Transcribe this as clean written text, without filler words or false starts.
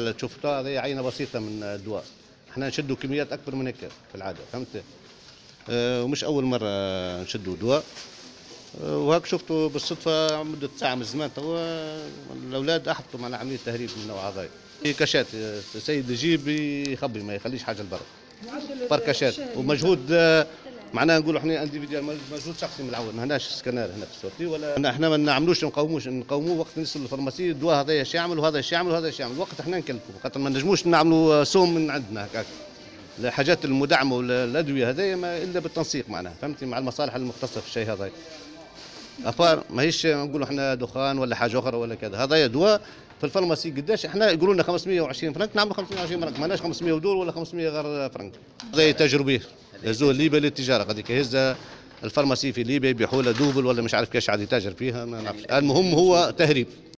هذا تشوف هذه عينه بسيطة من الدواء، احنا نشدوا كميات اكبر من هيك في العادة، فهمت؟ ومش اول مرة نشدوا دواء. وهاك شفتوا بالصدفة مده ساعة من الزمان توا الاولاد احبطوا معنا عملية تهريب من النوع هذا. في cachette، السيد يجيب يخبي ما يخليش حاجة لبرا، par cachette ومجهود معناها نقولوا احنا individuel، مجهود شخصي من العون، ما هناش سكانر هنا في ال sortie ولا احنا ما نعملوش نقاوموش، نقاوموه وقت نوصل لل pharmacie الدواء هذا ايش يعمل وهذا ايش يعمل وهذا ايش يعمل، وقت احنا نكلفوا خاطر ما نجموش نعملوا سوم من عندنا هكاك. الحاجات المدعمه والادوية هذيا ما الا بالتنسيق معناها، فهمتي، مع المصالح المختصة في الشيء هذا. à part ماهيش نقولوا احنا دخان ولا حاجة اخرى ولا كذا، هذا دواء في ال pharmacie قداش احنا يقولوا لنا 520 فرنك، نعملوا 520 فرنك، ماناش 500 ودور ولا 500 غير فرنك. هذا يتاجروا به هزوه ليبيا للتجارة، غادي يهز ال pharmacie في ليبيا يبيعوا له double ولا مش عارف كيفاش عاد يتاجر فيها، ما نعرفش. المهم هو تهريب.